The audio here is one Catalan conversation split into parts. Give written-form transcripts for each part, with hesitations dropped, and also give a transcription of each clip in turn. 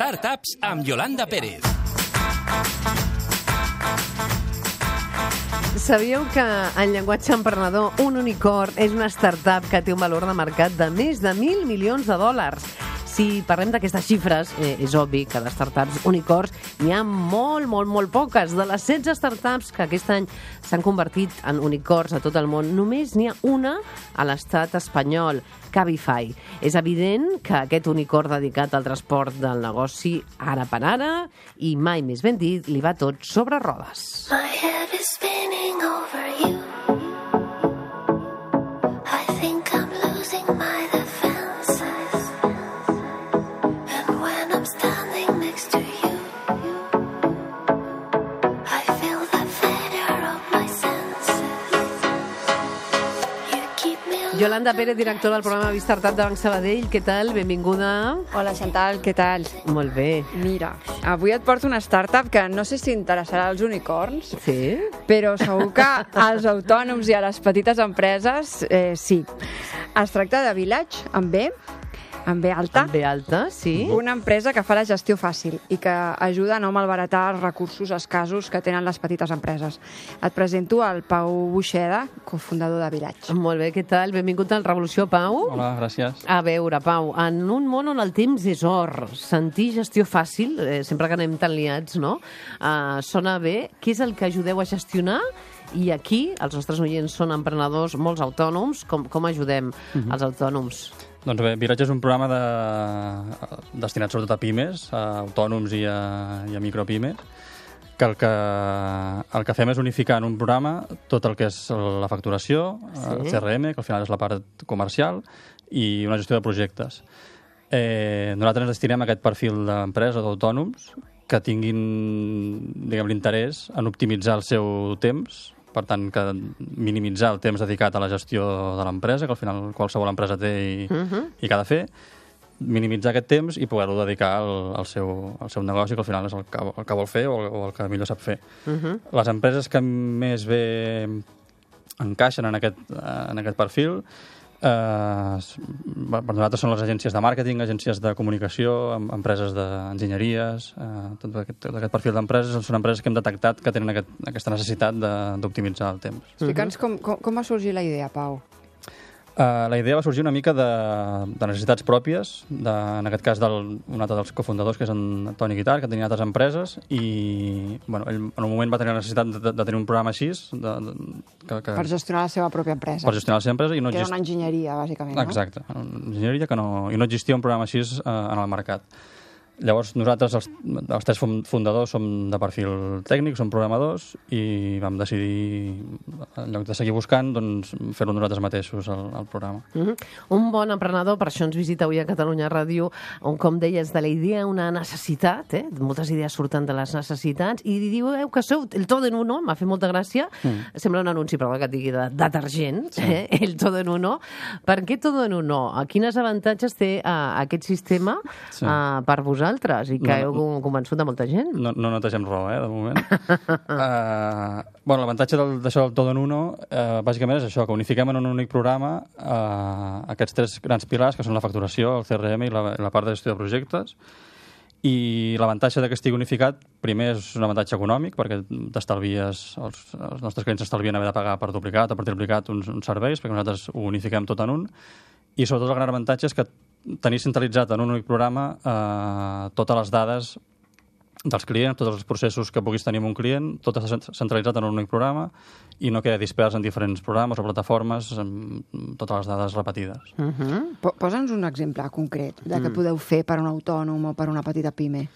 Startups amb Yolanda Pérez. Sabíeu que en llenguatge emprenedor un unicorn és una startup que té un valor de mercat de més de 1.000 milions de dòlars? Si parlem d'aquestes xifres, és obvi que de startups unicorns n'hi ha molt poques. De les 16 startups que aquest any s'han convertit en unicorns a tot el món, només n'hi ha una a l'estat espanyol, Cabify. És evident que aquest unicorn dedicat al transport del negoci ara per ara, i mai més ben dit, li va tot sobre rodes. My head is spinning over you. I think I'm losing my defenses. And when I'm standing next to you, I feel the failure of my senses. You keep me Yolanda Pérez, directora del programa Startup de Banc Sabadell. Què tal? Benvinguda. Hola, Chantal, què tal? Molt bé. Mira, avui et porto una startup que no sé si interessarà als unicorns, Sí? però segur que als autònoms i a les petites empreses sí. Es tracta de Village, amb B alta, Amb B alta, sí. una empresa que fa la gestió fàcil i que ajuda a no malbaratar els recursos escassos que tenen les petites empreses. Et presento el Pau Buixeda, cofundador de Village. Molt bé, què tal? Benvingut al Revolució, Pau. Hola, gràcies. A veure, Pau, en un món on el temps és or, sentir gestió fàcil, sempre que anem tan liats, no? Sona bé. Què és el que ajudeu a gestionar? I aquí, els nostres oients són emprenedors, molts autònoms. Com ajudem els autònoms? Doncs bé, Village és un programa destinat sobretot a pimes, a autònoms i a micropimes, que el que fem és unificar en un programa tot el que és la facturació, el CRM, que al final és la part comercial, i una gestió de projectes. Nosaltres ens destinem a aquest perfil d'empresa, d'autònoms, que tinguin, diguem, l'interès en optimitzar el seu temps, per tant, que minimitzar el temps dedicat a la gestió de l'empresa, que al final qualsevol empresa té i que ha de fer, minimitzar aquest temps i poder-lo dedicar al seu negoci, que al final és el que vol fer o el que millor sap fer. Les empreses que més bé encaixen en aquest perfil per nosaltres són les agències de màrqueting, agències de comunicació, empreses d'enginyeries, tot aquest perfil d'empreses són empreses que hem detectat que tenen aquesta necessitat d'optimitzar el temps. Explica'ns com va sorgir la idea, Pau. La idea va sorgir una mica de necessitats pròpies, en aquest cas un altre dels cofundadors, que és en Toni Guitar, que tenia altres empreses, i ell en un moment va tenir la necessitat de tenir un programa així Per gestionar la seva pròpia empresa. Per gestionar la seva empresa. Que era una enginyeria, bàsicament, no? Exacte, una enginyeria i no existia un programa així en el mercat. Llavors, nosaltres, els tres fundadors, som de perfil tècnic, som programadors, i vam decidir, en lloc de seguir buscant, doncs, fer-ho nosaltres mateixos, el programa. Un bon emprenedor, per això ens visita avui a Catalunya Ràdio, on, com deies, de la idea una necessitat, moltes idees surten de les necessitats, i diu que sou el todo en uno, m'ha fet molta gràcia, sembla un anunci, perdó, que et digui de detergent, el todo en uno. Per què todo en uno? Quines avantatges té aquest sistema per vosaltres? I que heu convençut de molta gent. No netegem roba, de moment. L'avantatge d'això del todo en uno, bàsicament és això, que unifiquem en un únic programa aquests tres grans pilars, que són la facturació, el CRM i la part de gestió de projectes. I l'avantatge que estigui unificat, primer és un avantatge econòmic, perquè t'estalvies, els nostres clients s'estalvien haver de pagar per duplicat o per triplicat uns serveis, perquè nosaltres ho unifiquem tot en un. I sobretot el gran avantatge és que tenir centralitzat en un únic programa totes les dades dels clients, tots els processos que puguis tenir amb un client, tot està centralitzat en un únic programa i no queda dispers en diferents programes o plataformes amb totes les dades repetides. Posa'ns un exemple concret de què podeu fer per un autònom o per una petita pime.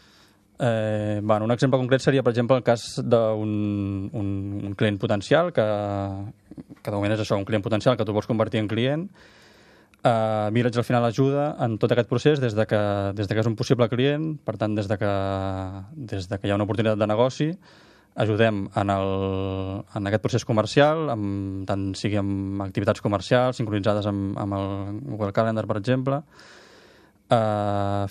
Un exemple concret seria, per exemple, el cas d'un client potencial, que de moment és això, un client potencial que tu vols convertir en client. Village al final ajuda en tot aquest procés des de que és un possible client, per tant, des de que hi ha una oportunitat de negoci, ajudem en aquest procés comercial, tant sigui amb activitats comercials sincronitzades amb el Google Calendar, per exemple,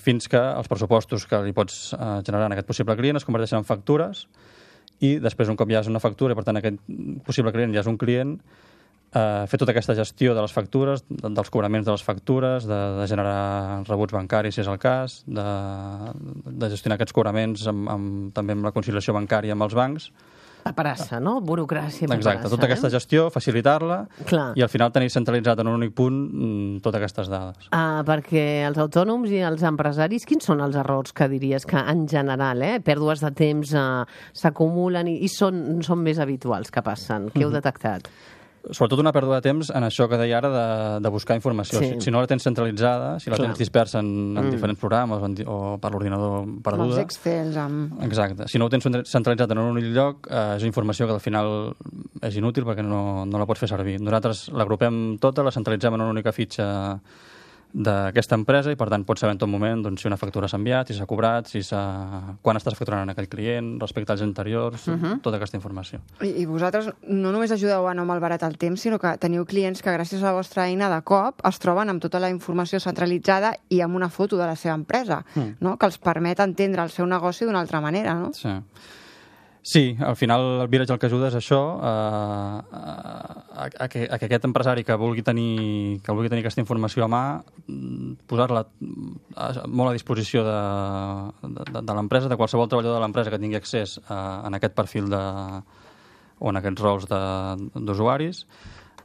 fins que els pressupostos que li pots generar en aquest possible client es converteixen en factures, i després, un cop ja és una factura i per tant aquest possible client ja és un client, fer tota aquesta gestió de les factures, dels cobraments de les factures, de generar rebuts bancaris, si és el cas, de gestionar aquests cobraments també amb la conciliació bancària amb els bancs. Paperassa, no? Burocràcia, Exacte, tota aquesta gestió, facilitar-la i al final tenir centralitzat en un únic punt totes aquestes dades. Perquè els autònoms i els empresaris, quins són els errors que diries que en general, pèrdues de temps s'acumulen i són més habituals que passen? Què heu detectat? Sobretot una pèrdua de temps en això que deia ara de buscar informació. Sí. Si no la tens centralitzada, si la tens dispersa en diferents programes o per l'ordinador perduda... Els Excels Exacte. Si no ho tens centralitzat en un únic lloc, és informació que al final és inútil perquè no la pots fer servir. Nosaltres l'agrupem tota, la centralitzem en una única fitxa d'aquesta empresa i, per tant, pots saber en tot moment si una factura s'ha enviat, si s'ha cobrat, quan estàs facturant en aquell client, respecte als anteriors, tota aquesta informació. I vosaltres no només ajudeu a no malbaratar el temps, sinó que teniu clients que gràcies a la vostra eina de cop es troben amb tota la informació centralitzada i amb una foto de la seva empresa, no? Que els permet entendre el seu negoci d'una altra manera, no? Sí, al final el Village el que ajuda és això, a que aquest empresari que vulgui tenir aquesta informació a mà, posar-la molt a disposició de l'empresa, de qualsevol treballador de l'empresa que tingui accés en aquest perfil o en aquests rols d'usuaris.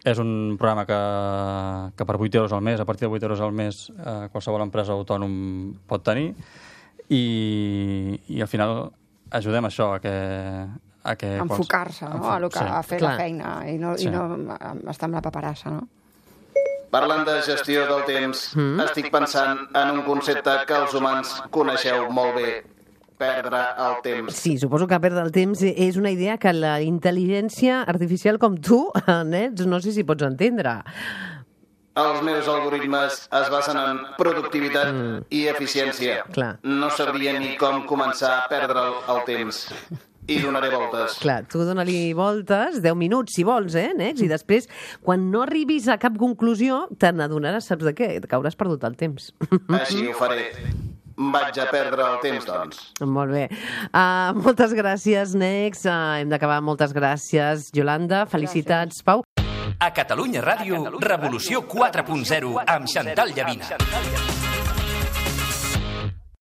És un programa que per 8 euros al mes, a partir de 8 euros al mes, qualsevol empresa autònom pot tenir i al final ajudem això a que enfocar-se, no? A fer la feina i no estar amb la paperassa, no? Parlant de gestió del temps, estic pensant en un concepte que els humans coneixeu molt bé: perdre el temps. Sí, suposo que perdre el temps és una idea que la intel·ligència artificial com tu, Nets, no sé si pots entendre. Els meus algoritmes es basen en productivitat i eficiència. No sabria ni com començar a perdre el temps. I donaré voltes. Clar, tu dona-li voltes, 10 minuts, si vols, Nex? I després, quan no arribis a cap conclusió, te n'adonaràs, saps de què? Que hauràs perdut el temps. Així ho faré. Vaig a perdre el temps, doncs. Molt bé. Moltes gràcies, Nex. Hem d'acabar. Moltes gràcies, Yolanda. Felicitats, Pau. A Catalunya Ràdio, Revolució 4.0 amb Xantal Llavina.